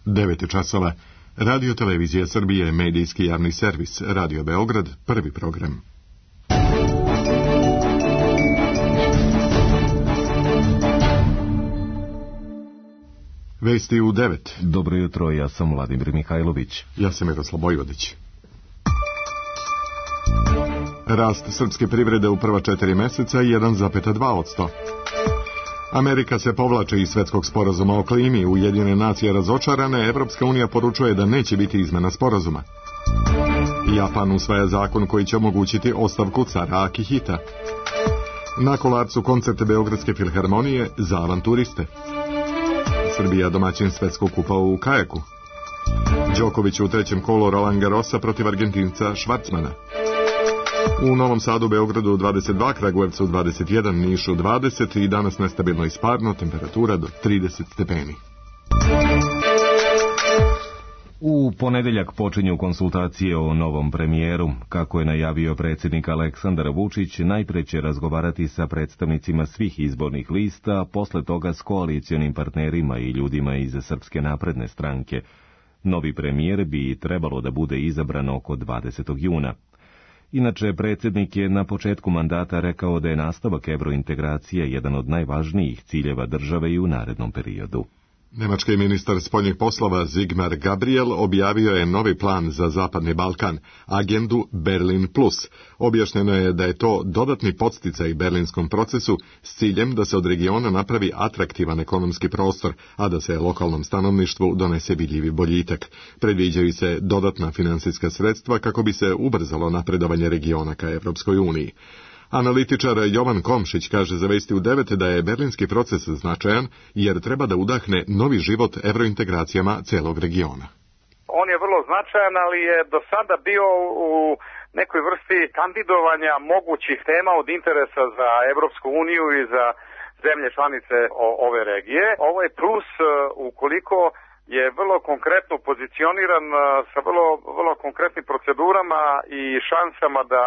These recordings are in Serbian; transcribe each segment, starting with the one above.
9 časova. Radio Televizija Srbije, medijski javni servis, Radio Beograd, prvi program. Vesti u 9. Dobro jutro, ja sam Vladimir Mihajlović. Ja sam Miroslav Bojvodić. Rast srpske privrede u prva 4 meseca 1,2%. Amerika se povlači iz svetskog sporazuma o klimi, Ujedinjene nacije razočarane, Evropska unija poručuje da neće biti izmena sporazuma. Japan usvaja zakon koji će omogućiti ostavku cara Akihita. Na Kolarcu koncerte Beogradske filharmonije za avanturiste. Srbija domaćin svetskog kupa u kajaku. Đoković u trećem kolu Roland Garrosa protiv Argentinca Švarcmana. U Novom Sadu, Beogradu 22, Kragujevcu 21, Nišu 20 i danas nestabilno i sparno, temperatura do 30 stepeni. U ponedeljak počinju konsultacije o novom premijeru. Kako je najavio predsjednik Aleksandar Vučić, najpre će razgovarati sa predstavnicima svih izbornih lista, posle toga s koalicionim partnerima i ljudima iz Srpske napredne stranke. Novi premijer bi trebalo da bude izabran oko 20. juna. Inače, predsjednik je na početku mandata rekao da je nastavak evrointegracije jedan od najvažnijih ciljeva države i u narednom periodu. Nemački ministar spoljnih poslova Sigmar Gabriel objavio je novi plan za Zapadni Balkan, agendu Berlin Plus. Objašnjeno je da je to dodatni podsticaj berlinskom procesu s ciljem da se od regiona napravi atraktivan ekonomski prostor, a da se lokalnom stanovništvu donese vidljivi boljitak. Predviđaju se dodatna finansijska sredstva kako bi se ubrzalo napredovanje regiona ka Evropskoj uniji. Analitičar Jovan Komšić kaže za Vesti u 9 da je berlinski proces značajan jer treba da udahne novi život evrointegracijama celog regiona. On je vrlo značajan, ali je do sada bio u nekoj vrsti kandidovanja mogućih tema od interesa za Evropsku uniju i za zemlje članice ove regije. Ovo je plus ukoliko je vrlo konkretno pozicioniran sa vrlo konkretnim procedurama i šansama da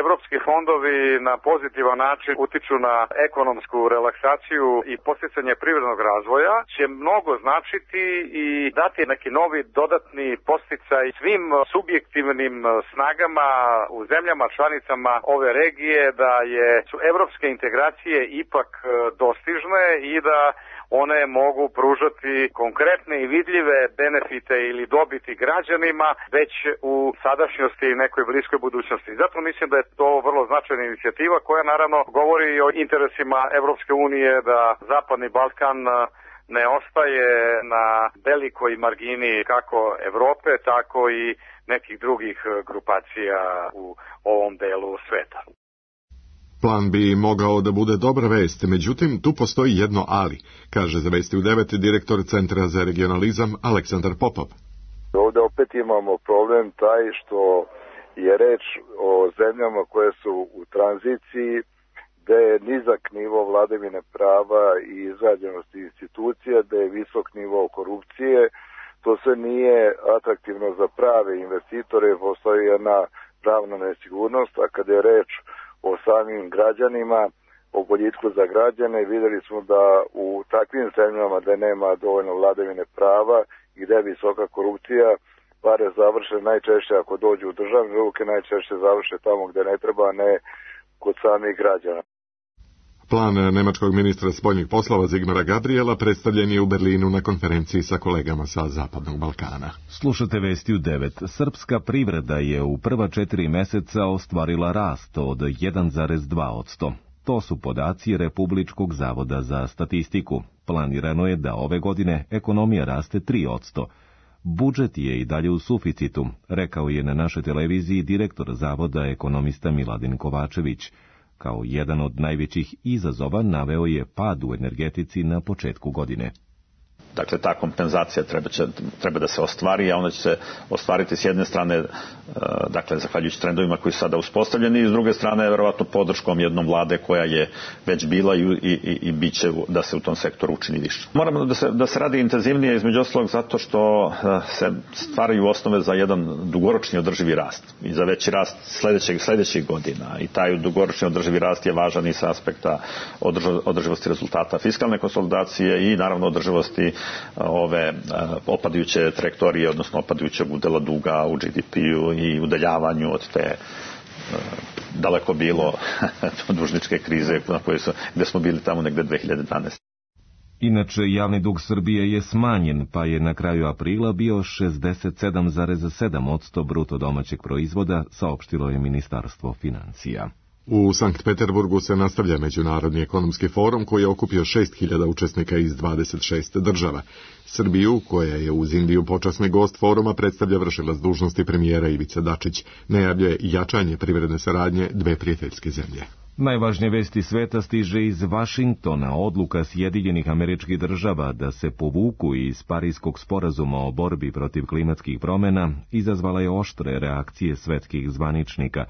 evropski fondovi na pozitivan način utiču na ekonomsku relaksaciju i podsticanje privrednog razvoja, će mnogo značiti i dati neki novi dodatni podsticaj svim subjektivnim snagama u zemljama članicama ove regije da su evropske integracije ipak dostižne i da one mogu pružati konkretne i vidljive benefite ili dobiti građanima već u sadašnjosti i nekoj bliskoj budućnosti. Zato mislim da je to vrlo značajna inicijativa koja naravno govori o interesima Evropske unije da Zapadni Balkan ne ostaje na velikoj margini kako Evrope, tako i nekih drugih grupacija u ovom delu sveta. Plan bi mogao da bude dobra vest, međutim, tu postoji jedno ali, kaže za Vesti u 9 direktor Centra za regionalizam Aleksandar Popov. Ovdje opet imamo problem taj što je reč o zemljama koje su u tranziciji, gde je nizak nivo vladavine prava i izgrađenosti institucija, gde je visok nivo korupcije. To sve nije atraktivno za prave investitore, postoji jedna pravna nesigurnost, a kada je reč o samim građanima, o boljitku za građane, vidjeli smo da u takvim zemljama da nema dovoljno vladavine prava i gde je visoka korupcija, pare završe najčešće ako dođu u državne ruke, najčešće završe tamo gde ne treba, a ne kod samih građana. Plan nemačkog ministra spoljnih poslova Sigmara Gabriela predstavljen je u Berlinu na konferenciji sa kolegama sa Zapadnog Balkana. Slušate Vesti u 9. Srpska privreda je u prva 4 meseca ostvarila rast od 1,2%. To su podaci Republičkog zavoda za statistiku. Planirano je da ove godine ekonomija raste 3%. Budžet je i dalje u suficitu, rekao je na našoj televiziji direktor zavoda ekonomista Miladin Kovačević. Kao jedan od najvećih izazova naveo je pad u energetici na početku godine. Dakle, ta kompenzacija treba da se ostvari, a ona će se ostvariti s jedne strane, dakle, zahvaljujući trendovima koji su sada uspostavljeni, i s druge strane, verovatno, podrškom jednom vlade koja je već bila i bit će da se u tom sektoru učini više. Moramo da se radi intenzivnije, između ostalog, zato što se stvaraju osnove za jedan dugoročni održivi rast i za veći rast sledećih godina. I taj dugoročni održivi rast je važan i sa aspekta održivosti rezultata fiskalne konsolidacije i, naravno, održivosti ove opadajuće trajektorije, odnosno opadajućeg udela duga u GDP-u i udaljavanju od te daleko bilo dužničke krize gde smo bili tamo negde 2012. Inače, javni dug Srbije je smanjen, pa je na kraju aprila bio 67,7% bruto domaćeg proizvoda, saopštilo je Ministarstvo financija. U Sankt Peterburgu se nastavlja Međunarodni ekonomski forum koji je okupio 6.000 učesnika iz 26 država. Srbiju, koja je uz Indiju počasni gost foruma, predstavlja vršilac dužnosti premijera Ivica Dačić. Najavljuje jačanje privredne saradnje dve prijateljske zemlje. Najvažnije vesti sveta stiže iz Vašingtona. Odluka Sjedinjenih Američkih Država da se povuku iz Pariskog sporazuma o borbi protiv klimatskih promjena izazvala je oštre reakcije svetskih zvaničnika.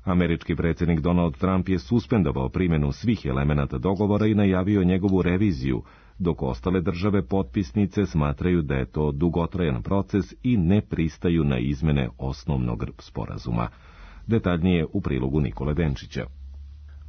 Američki predsjednik Donald Trump je suspendovao primjenu svih elemenata dogovora i najavio njegovu reviziju, dok ostale države potpisnice smatraju da je to dugotrajan proces i ne pristaju na izmene osnovnog sporazuma. Detaljnije u prilogu Nikole Denčića.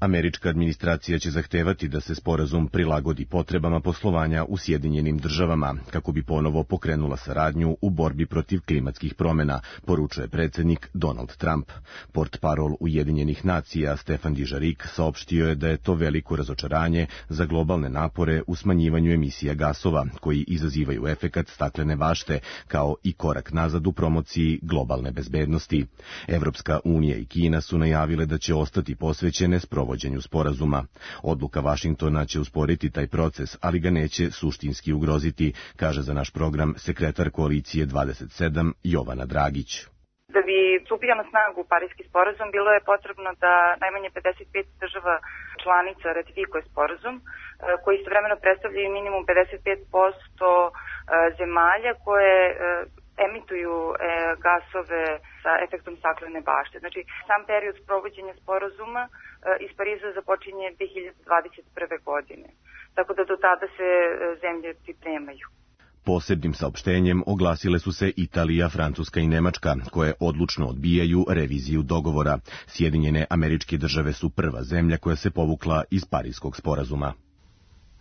Američka administracija će zahtevati da se sporazum prilagodi potrebama poslovanja u Sjedinjenim Državama, kako bi ponovo pokrenula saradnju u borbi protiv klimatskih promjena, poručuje predsjednik Donald Trump. Portparol Ujedinjenih nacija Stefan Dujarric saopštio je da je to veliko razočaranje za globalne napore u smanjivanju emisija gasova, koji izazivaju efekat staklene bašte, kao i korak nazad u promociji globalne bezbednosti. Evropska unija i Kina su najavile da će ostati posvećene sprovođenju sporazuma. Odluka Vašingtona će usporiti taj proces, ali ga neće suštinski ugroziti, kaže za naš program sekretar koalicije 27 Jovana Dragić. Da bi stupio na snagu Pariski sporazum, bilo je potrebno da najmanje 55 država članica ratifikuje sporazum, koji istovremeno predstavljaju minimum 55% zemalja koje emituju gasove sa efektom staklene bašte. Znači, sam period sprovođenja sporazuma iz Pariza započinje 2021. godine. Tako da do tada se zemlje pripremaju. Posebnim saopštenjem oglasile su se Italija, Francuska i Nemačka, koje odlučno odbijaju reviziju dogovora. Sjedinjene Američke Države su prva zemlja koja se povukla iz Pariskog sporazuma.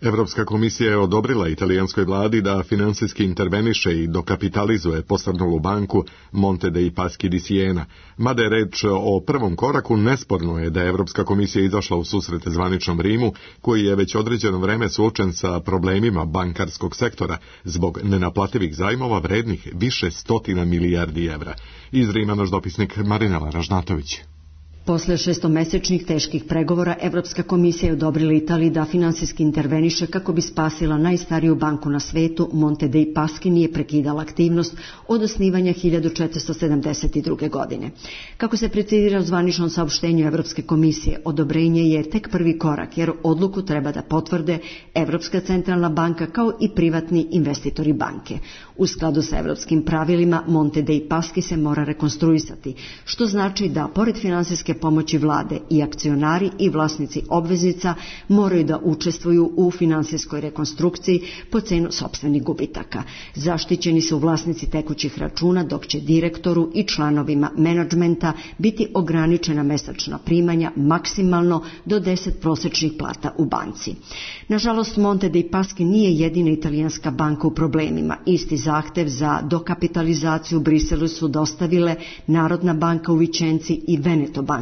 Evropska komisija je odobrila italijanskoj vladi da finansijski interveniše i dokapitalizuje posrnulu banku Monte dei Paschi di Siena. Mada je reč o prvom koraku, nesporno je da je Evropska komisija izašla u susret zvaničnom Rimu, koji je već određeno vreme suočen sa problemima bankarskog sektora zbog nenaplativih zajmova vrednih više stotina milijardi evra. Iz Rima naš dopisnik Marinela Ražnatović. Posle šestomesečnih teških pregovora, Evropska komisija je odobrila Italiji da finansijski interveniše kako bi spasila najstariju banku na svetu. Monte dei Paschi nije prekidala aktivnost od osnivanja 1472. godine. Kako se precizira u zvaničnom saopštenju Evropske komisije, odobrenje je tek prvi korak, jer odluku treba da potvrde Evropska centralna banka kao i privatni investitori banke. U skladu sa evropskim pravilima, Monte dei Paschi se mora rekonstruisati, što znači da, pored finansijske pomoći vlade, i akcionari i vlasnici obveznica moraju da učestvuju u finansijskoj rekonstrukciji po cenu sopstvenih gubitaka. Zaštićeni su vlasnici tekućih računa, dok će direktoru i članovima menadžmenta biti ograničena mesečna primanja maksimalno do 10 prosečnih plata u banci. Nažalost, Monte dei Paschi nije jedina italijanska banka u problemima. Isti zahtev za dokapitalizaciju u Briselu su dostavile Narodna banka u Vičenci i Veneto banka,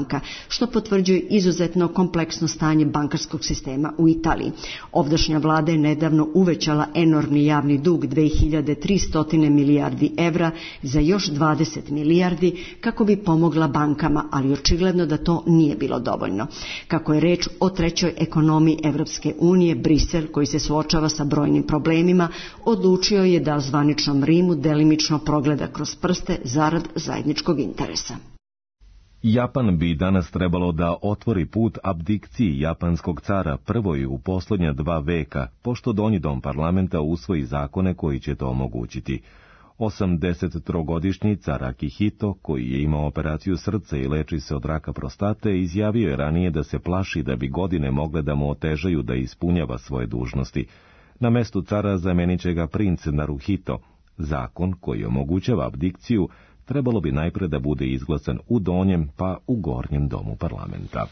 što potvrđuje izuzetno kompleksno stanje bankarskog sistema u Italiji. Ovdašnja vlada je nedavno uvećala enormni javni dug 2300 milijardi evra za još 20 milijardi kako bi pomogla bankama, ali očigledno da to nije bilo dovoljno. Kako je reč o trećoj ekonomiji Evropske unije, Brisel, koji se suočava sa brojnim problemima, odlučio je da zvaničnom Rimu delimično progleda kroz prste zarad zajedničkog interesa. Japan bi danas trebalo da otvori put abdikciji japanskog cara prvoj u posljednja 2 veka, pošto donji dom parlamenta usvoji zakone koji će to omogućiti. 83-godišnji car Akihito, koji je imao operaciju srca i leči se od raka prostate, izjavio je ranije da se plaši da bi godine mogle da mu otežaju da ispunjava svoje dužnosti. Na mestu cara zamenit će ga princ Naruhito. Zakon koji omogućava abdikciju trebalo bi najpre da bude izglasan u donjem pa u gornjem domu parlamenta.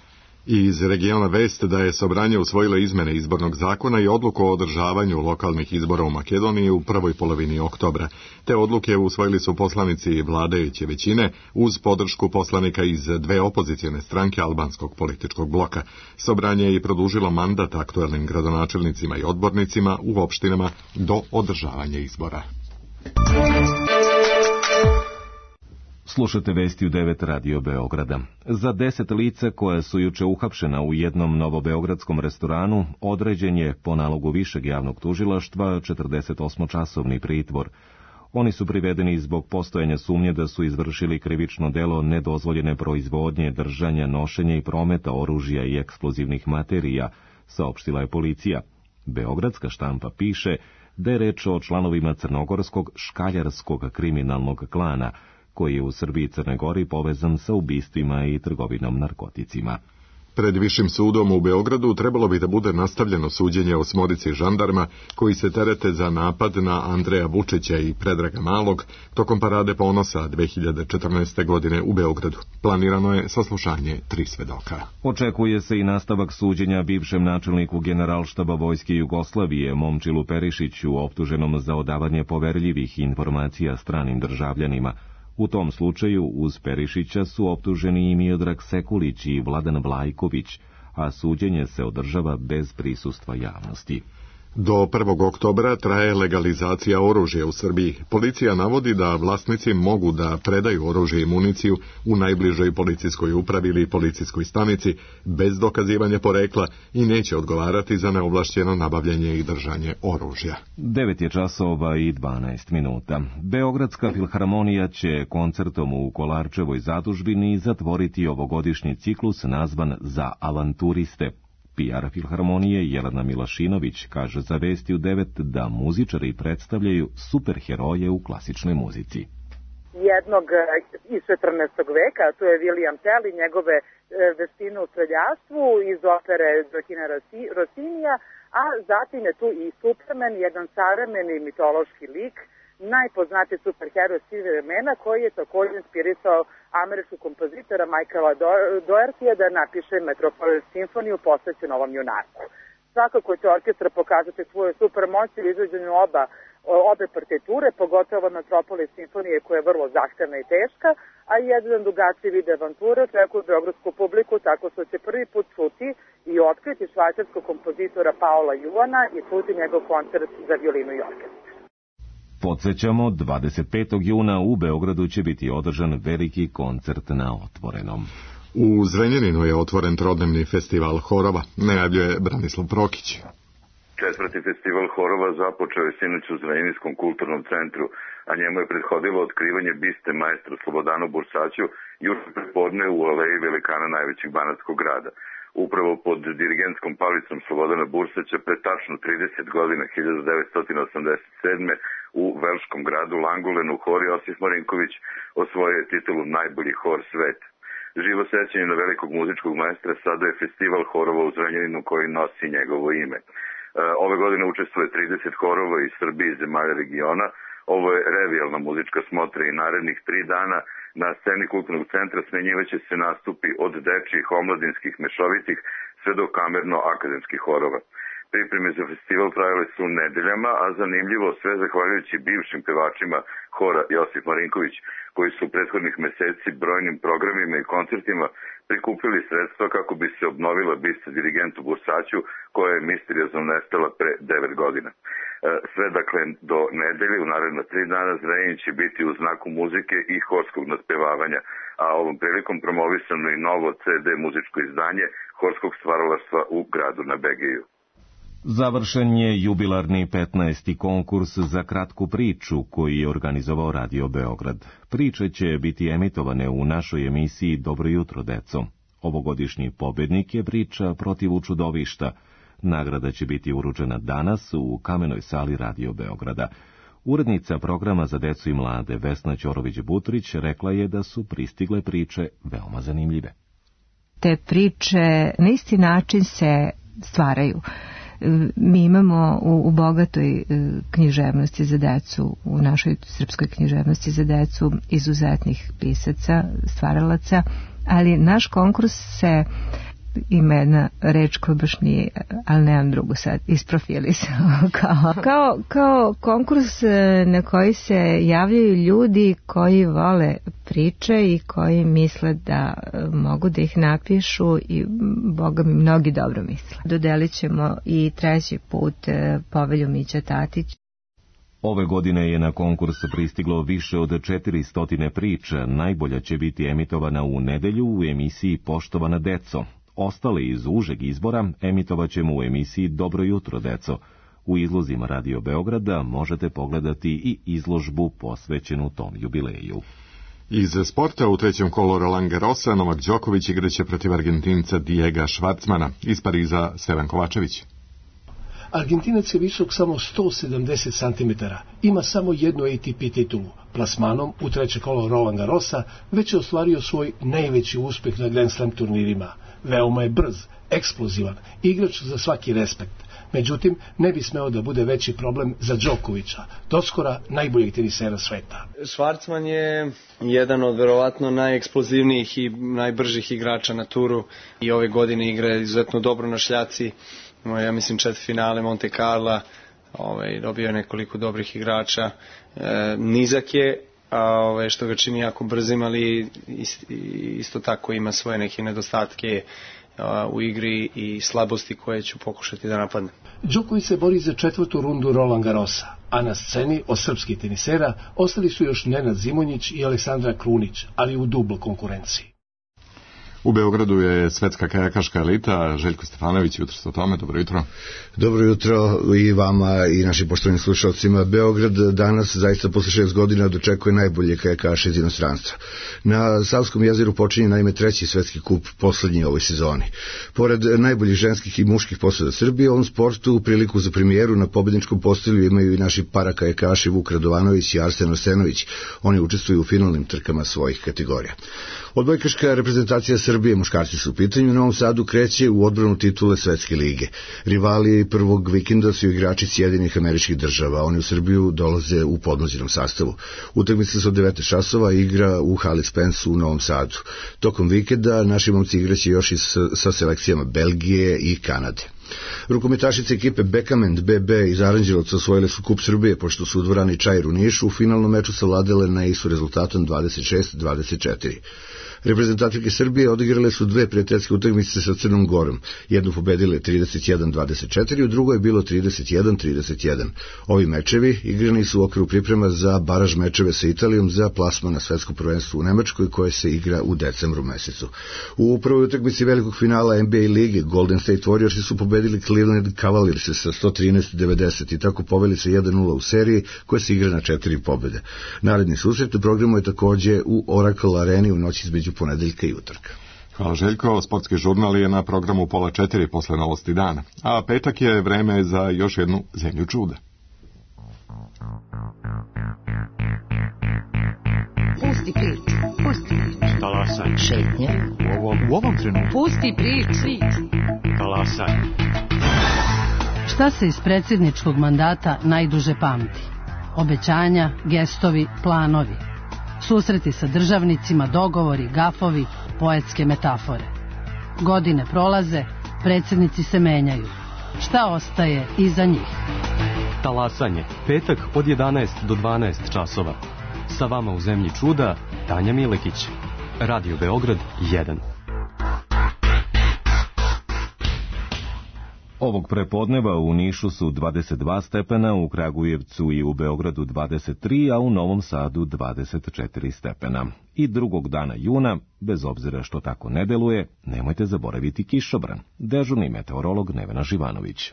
I iz regiona vest da je Sobranje usvojilo izmene izbornog zakona i odluku o održavanju lokalnih izbora u Makedoniji u prvoj polovini oktobra. Te odluke usvojili su poslanici vladajuće većine uz podršku poslanika iz dve opozicione stranke albanskog političkog bloka. Sobranje je i produžilo mandat aktuelnim gradonačelnicima i odbornicima u opštinama do održavanja izbora. Slušate vesti u 9 Radio Beograda. Za 10 lica koja su juče uhapšena u jednom novobeogradskom restoranu određen je po nalogu višeg javnog tužilaštva 48-časovni pritvor. Oni su privedeni zbog postojanja sumnje da su izvršili krivično delo nedozvoljene proizvodnje, držanja, nošenja i prometa oružja i eksplozivnih materija, saopštila je policija. Beogradska štampa piše da je reč o članovima crnogorskog škaljarskog kriminalnog klana, koji je u Srbiji i Crnoj Gori povezan sa ubistvima i trgovinom narkoticima. Pred Višim sudom u Beogradu trebalo bi da bude nastavljeno suđenje 8 žandarma koji se terete za napad na Andreja Vučića i Predraga Malog tokom Parade ponosa 2014. godine u Beogradu. Planirano je saslušanje 3 svedoka. Očekuje se i nastavak suđenja bivšem načelniku Generalštaba Vojske Jugoslavije Momčilu Perišiću, optuženom za odavanje poverljivih informacija stranim državljanima. U tom slučaju uz Perišića su optuženi i Miodrag Sekulić i Vladan Vlajković, a suđenje se održava bez prisustva javnosti. Do 1. oktobra traje legalizacija oružja u Srbiji. Policija navodi da vlasnici mogu da predaju oružje i municiju u najbližoj policijskoj upravi ili policijskoj stanici bez dokazivanja porekla i neće odgovarati za neovlašćeno nabavljanje i držanje oružja. 9:12. Beogradska filharmonija će koncertom u Kolarčevoj zadužbini zatvoriti ovogodišnji ciklus nazvan Za avanturiste. PR filharmonije Jelena Milašinović kaže za Vesti u 9 da muzičari predstavljaju superheroje u klasičnoj muzici. Jednog iz 14. veka, to je William Tell i njegove veštine u streljaštvu iz opere Gioachina Rossinija, a zatim je tu i Superman, jedan savremeni mitološki lik, najpoznatiji superheroj svih vremena koji je također inspirisao američkog kompozitora Michaela Dohertyja da napiše Metropolis simfoniju posvećenu ovom junaku. Svakako će orkestra pokazati svoju supermoć u izvođenju obe partiture, pogotovo Metropolis simfonije koja je vrlo zahtevna i teška, a jedan drugačiji vid avanture očekuje beogradsku publiku tako što će prvi put čuti i otkriti švajcarskog kompozitora Paola Juana i čuti njegov koncert za violinu i orkestar. Podsjećamo, 25. juna u Beogradu će biti održan veliki koncert na otvorenom. U Zrenjaninu je otvoren trodnevni festival horova, najavljuje Branislav Prokić. 4. festival horova započeo je sinoć u Zrenjaninskom kulturnom centru, a njemu je prethodilo otkrivanje biste maestru Slobodanu Bursaću juče prepodne u aleji velikana najvećeg banatskog grada. Upravo pod dirigentskom palicom Slobodana Bursaća pre tačno 30 godina, 1987. u velškom gradu Langulenu hor Josif Marinković osvojio je titulu najbolji hor sveta. Živo sećanje na velikog muzičkog maestra sada je festival horova u Zrenjaninu koji nosi njegovo ime. Ove godine učestvuje 30 horova iz Srbije i zemalja regiona. Ovo je revijalna muzička smotra i narednih 3 dana na sceni kulturnog centra smenjivaće se nastupi od dečjih, omladinskih, mešovitih sve do kamerno-akademskih horova. Pripreme za festival trajale su nedeljama, a zanimljivo sve zahvaljujući bivšim pevačima hora Josif Marinković, koji su prethodnih meseci brojnim programima i koncertima prikupili sredstva kako bi se obnovila bista dirigentu Bursaću, koja je misteriozno nestala pre 9 godina. Sve dakle do nedelje, u naredna 3 dana, Zrenjanin će biti u znaku muzike i horskog nadpevavanja, a ovom prilikom promovisano i novo CD muzičko izdanje horskog stvaralaštva u gradu na Begeju. Završen je jubilarni 15. konkurs za kratku priču koji je organizovao Radio Beograd. Priče će biti emitovane u našoj emisiji Dobro jutro, deco. Ovogodišnji pobednik je priča Protiv čudovišta. Nagrada će biti uručena danas u Kamenoj sali Radio Beograda. Urednica programa za decu i mlade Vesna Ćorović-Butrić rekla je da su pristigle priče veoma zanimljive. Te priče na isti način se stvaraju. Mi imamo u bogatoj književnosti za decu, u našoj srpskoj književnosti za decu, izuzetnih pisaca, stvaralaca, ali naš konkurs se ima jedna reč koja baš nije, ali nemam drugu sad, isprofilisao. Kao konkurs na koji se javljaju ljudi koji vole priče i koji misle da mogu da ih napišu i Boga mi mnogi dobro misle. Dodelit ćemo i 3. put Povelju Mića Tatić. Ove godine je na konkurs pristiglo više od 400 priča. Najbolja će biti emitovana u nedelju u emisiji Poštovana deco. Ostale iz užeg izbora emitovat ćemo u emisiji Dobro jutro deco. U izlozima Radio Beograda možete pogledati i izložbu posvećenu tom jubileju. Iz sporta u 3. kolu Roland Garrosa Novak Đoković igraće protiv Argentinca Diega Švarcmana. Iz Pariza Stevan Kovačević. Argentinac je visok samo 170 cm, ima samo jednu ATP titulu. Plasmanom u 3. kolo Roland Garrosa već je ostvario svoj najveći uspeh na Grand Slam turnirima. Veoma je brz, eksplozivan, igrač za svaki respekt. Međutim, ne bi smeo da bude veći problem za Đokovića, doskora najboljeg tenisera sveta. Švarcman je jedan od verovatno najeksplozivnijih i najbržih igrača na turu i ove godine igra izuzetno dobro na šljaci. Ja mislim četvrtfinale Monte Carla, dobio je nekoliko dobrih igrača. Nizak je, što ga čini jako brzim, ali isto tako ima svoje neke nedostatke u igri i slabosti koje ću pokušati da napadnem. Đoković se bori za 4. rundu Roland Garrosa, a na sceni od srpskih tenisera ostali su još Nenad Zimonjić i Aleksandra Krunić, ali u dubloj konkurenciji. U Beogradu je svetska kajakaška elita. Željko Stefanović, jutro ste o tome, dobro jutro. Dobro jutro i vama i našim poštovanim slušalcima. Beograd danas zaista posle 6 godina dočekuje najbolje kajakaše iz inostranstva. Na Savskom jezeru počinje naime 3. svetski kup, poslednji ovoj sezoni. Pored najboljih ženskih i muških posada Srbije, u ovom sportu priliku za premijeru na pobedničkom postolju imaju i naši parakajakaši Vuk Radovanović i Arsen Arsenović. Oni učestvuju u finalnim trkama svojih kategorija. Odbojkaška reprezentacija Srbije, muškarci su u pitanju, u Novom Sadu kreće u odbranu titule Svetske lige. Rivali prvog vikenda su igrači Sjedinjenih Američkih Država. Oni u Srbiju dolaze u podmlađenom sastavu. Utakmica se od 9 časova igra u hali Spence u Novom Sadu. Tokom vikenda naši momci igraće još i sa selekcijama Belgije i Kanade. Rukometašice ekipe Bekament BB iz Aranđelovca osvojile su kup Srbije, pošto su u dvorani Čair u Nišu u finalnom meču savladale na ISU rezultatom 26-24. Reprezentativke Srbije odigrale su 2 prijateljske utakmice sa Crnom Gorom. Jednu pobedile 31-24, u drugoj je bilo 31-31. Ovi mečevi igrani su u okviru priprema za baraž mečeve sa Italijom za plasman na svetsko prvenstvo u Nemačkoj koje se igra u decembru mesecu. U prvoj utakmici velikog finala NBA lige Golden State Warriors su pobedili Cleveland Cavaliers sa 113-90 i tako poveli se 1-0 u seriji koja se igra na 4 pobjede. Naredni susret u programu je takođe u Oracle Areni u noći između ponedeljka i utorka. Hvala Željko, sportski žurnal je na programu 3:30 posle novosti dana, a petak je vreme za još jednu zemlju čuda. Pusti priču, pusti priču. Talasaj. Šetnja. U ovom trenutku. Pusti priču. Talasaj. Šta se iz predsjedničkog mandata najduže pamti? Obećanja, gestovi, planovi. Susreti sa državnicima, dogovori, gafovi, poetske metafore. Godine prolaze, predsjednici se menjaju. Šta ostaje iza njih? Talasanje, petak od 11 do 12 časova. Sa vama u zemlji čuda, Tanja Milekić. Radio Beograd 1. Ovog prepodneva u Nišu su 22 stepena, u Kragujevcu i u Beogradu 23, a u Novom Sadu 24 stepena. I drugog dana juna, bez obzira što tako ne deluje, nemojte zaboraviti kišobran. Dežurni meteorolog Nevena Živanović.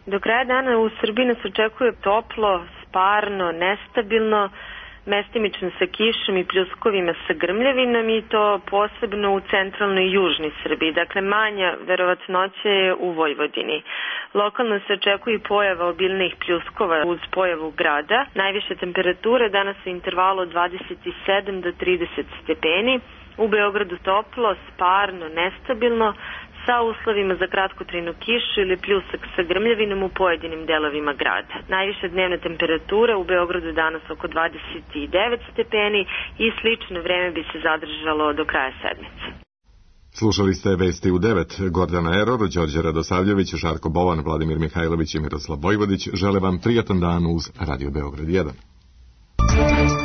Do kraja dana u Srbiji nas očekuje toplo, sparno, nestabilno, mestimično sa kišom i pljuskovima sa grmljavinom i to posebno u centralnoj i južnoj Srbiji. Dakle, manja verovatnoća je u Vojvodini. Lokalno se očekuje pojava obilnih pljuskova uz pojavu grada. Najviše temperature danas u intervalu od 27 do 30 stepeni. U Beogradu toplo, sparno, nestabilno, sa uslovima za kratkotrajnu kišu ili pljusak sa grmljavinom u pojedinim delovima grada. Najviša dnevna temperatura u Beogradu danas oko 29 stepeni i slično vreme bi se zadržalo do kraja sedmice. Slušali ste vesti u 9. Gordana Eror, Đorđe Radosavljević, Žarko Bovan, Vladimir Mihajlović i Miroslav Vojvodić žele vam prijatan dan uz Radio Beograd 1.